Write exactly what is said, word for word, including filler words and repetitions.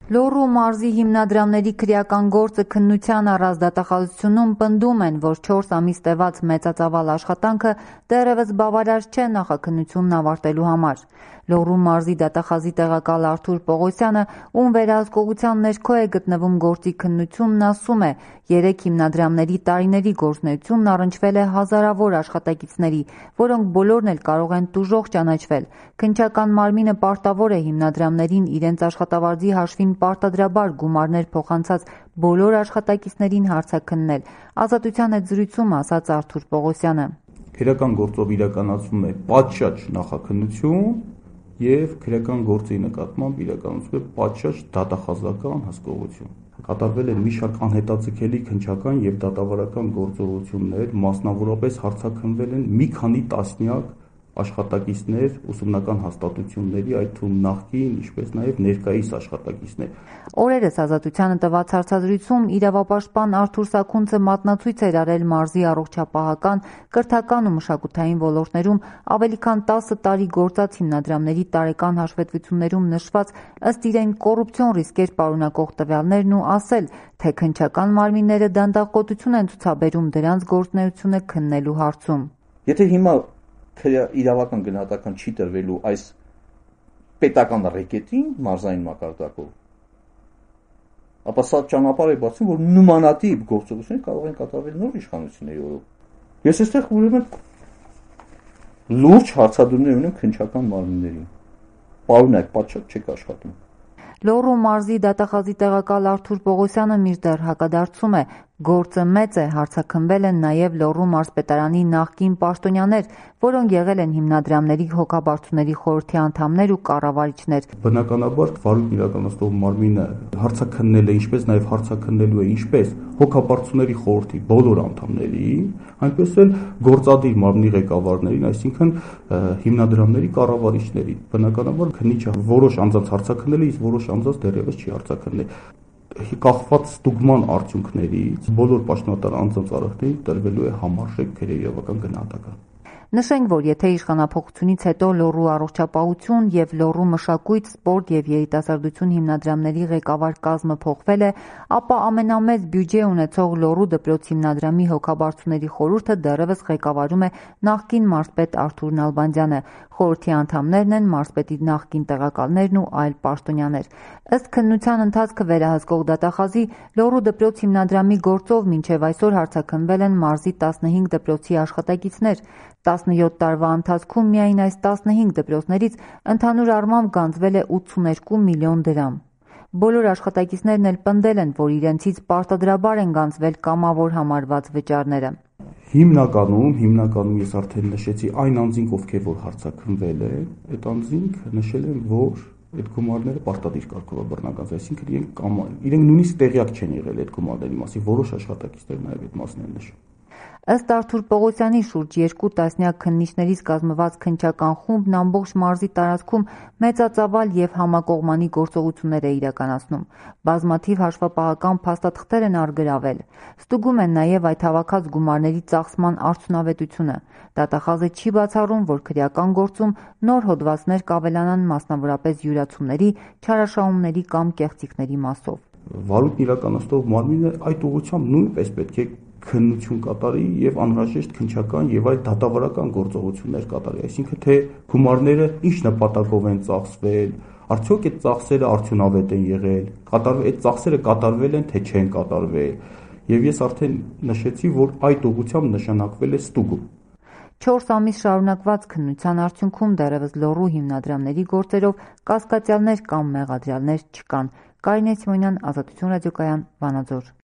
Լոռու մարզի հիմնադրամների քրեական գործը քննության առած դատախազությունում պնդում են, որ չորս ամիս տևած մեծածավալ աշխատանքը դեռևս բավարար չէ նախաքննությունն ավարտելու համար։ Լոռու մարզի դատախազի տեղակալ Արթուր Պողոսյանը, ում վերահսկողության ներքո է գտնվում գործի քննությունն, ասում է, երեք հիմնադրամների տարիների գործունեությունն առնչվել է հազարավոր աշխատակիցների, որոնք բոլորն էլ կարող են տուժող ճանաչվել։ Քննչական մարմինը պարտավոր է հիմնադրամներին իրենց աշխատավարձի հաշվին պարտադրաբար գումարներ փոխանցած բոլոր աշխատակիցներին հարցաքննել։ Ազատության հետ զրույցում ասաց Արթուր Պողոսյանը. Քրեական գործով իրականացվում է պատշաճ նախաքննություն եւ քրեական գործի նկատմամբ իրականացվում է պատշաճ դատախազական հսկողություն։ Կատարվել են մի շարք անհետաձգելի քննչական եւ դատավարական գործողություններ, մասնավորապես հարցաքննվել են մի քանի տասնյակ աշխատակիցներ ուսումնական հաստատությունների, այդ թվում նախկին, ինչպես նաև ներկայիս աշխատակիցներ։ Օրերս Ազատությանը տված հարցազրույցում իրավապաշտպան Արթուր Սաքունցը մատնացույց էր արել մարզի առողջապահական, կրթական ու մշակութային ոլորտներում ավելի քան տասը տարի գործած հիմնադրամների տարեկան հաշվետվություններում նշված ըստ իրեն կոռուպցիոն ռիսկեր պարունակող տվյալներն ու ասել, թե քննչական մարմինները դանդաղկոտություն են ցուցաբերում դրանց գործունեությունը քննելու հարցում։ Եթե հիմա իրավական գնահատական չի տրվելու այս պետական ռեկետին մարզային մակարդակով, ապա սա ճանապարհ է բացում, որ նմանատիպ գործողություններ կարող են կատարվել նոր իշխանությունների օրոք։ Ես այստեղ ուրեմն լուրջ հարցադրումներ ունեմ քննչական մարմիններին։ Պարոնայք, պատշաճ չեք աշխատում։ Լոռու մարզի դատախազի տեղակալ Արթուր Պողոսյանը մինչդեռ հակադարձում է, գործը մեծ է, հարցաքննվել են նաև Լոռու մարզպետարանի նախկին պաշտոնյաներ, որոնք եղել են հիմնադրամների հոգաբարձուների խորհրդի անդամներ ու կառավարիչներ։ Բնականաբար վարույթ իրականացնող մարմինը հարցաքննել է, ինչպես նաև հարցաքննելու է ինչպես հոգաբարձուների խորհրդի բոլոր անդամներին, այնպես էլ գործադիր մարմնի ղեկավարներին, այսինքն հիմնադրամների կառավարիչներին։ Բնականաբար քննիչը որոշ անձանց հարցաքննել է, իսկ որոշ անձանց դեռևս չի հարցաքննել։ Կախված ստուգման արդյունքներից բոլոր պաշտոնատար անձանց արարքներին տրվելու է համարժեք քրեական գնահատական։ Նշենք, որ եթե իշխանափոխությունից հետո Լոռու առողջապահություն եւ Լոռու մշակույթ, սպորտ եւ երիտասարդություն հիմնադրամների ղեկավար կազմը փոխվել է, ապա ամենամեծ բյուջե ունեցող Լոռու դպրոց հիմնադրամի հոգաբարձուների խորհուրդը դեռևս ղեկավարում է նախկին մարզպետ Արթուր Նալբանդյանը։ Խորհրդի անդամներն են մարզպետի նախկին տեղակալներն ու այլ պաշտոնյաներ։ Ըստ քննության ընթացքը վերահսկող դատախազի, Լոռու դպրոց հիմնադրամի գործով մինչև այսօր հարցաքննվել են մարզի տասնհինգ դպրոցի աշխատակիցներ։ տասնյոթ տարվա ընթացքում միայն այս տասնհինգ դպրոցներից ընդհանուր առմամբ գանձվել է ութսուներկու միլիոն դրամ։ Բոլոր աշխատակիցներն էլ պնդել են, որ իրենցից պարտադրաբար են գանձվել կամավոր համարված վճարները։ Հիմնականում, հիմնականում ես արդեն նշեցի այն անձինք, ովքեր որ հարցաքննվել են, այդ անձինք նշել են, որ այդ գումարները պարտադիր կարգով է բռնական, այսինքն իրենք կամ իրենք նույնիսկ տեղյակ չեն եղել այդ գումարների մասին, որոշ աշխատակիցներ նաև այդ մասն են նշում։ Ըստ Արթուր Պողոսյանի շուրջ երկու տասնյակ քննիչներից կազմված քննչական խումբն ամբողջ մարզի տարածքում մեծածավալ եւ համակողմանի գործողություններ է իրականացնում։ Բազմաթիվ հաշվապահական փաստաթղթեր են առգրավել։ Ստուգում են նաեւ այդ հավաքած գումարների ծախսման արդյունավետությունը։ Դատախազը չի բացառում, որ քրեական գործում նոր հոդվածներ կավելանան, մասնավորապես յուրացումների, չարաշահումների կամ կեղծիքների մասով։ Վարույթն իրականացնող մարմինը այդ ուղղությամբ նույնպես պետք է քննություն կատարի եւ անհրաժեշտ քննչական եւ այլ դատավարական գործողություններ կատարի, այսինքն թե գումարները ինչ նպատակով են ծախսվել, արդյոք այդ ծախսերը արդյունավետ են եղել, կատարվել այդ ծախսերը կատարվել են թե չեն կատարվել։ Եվ ես արդեն նշեցի, որ այդ ուղղությամբ նշանակվել է ստուգում։ Չորս ամիս շարունակված քննության արդյունքում դեռևս Լոռու հիմնադրամների գործերով կասկածյալներ կամ մեղադրյալներ չկան։ Կարինե Սիմոնյան, Ազատություն ռադիոկայան, Վանաձոր։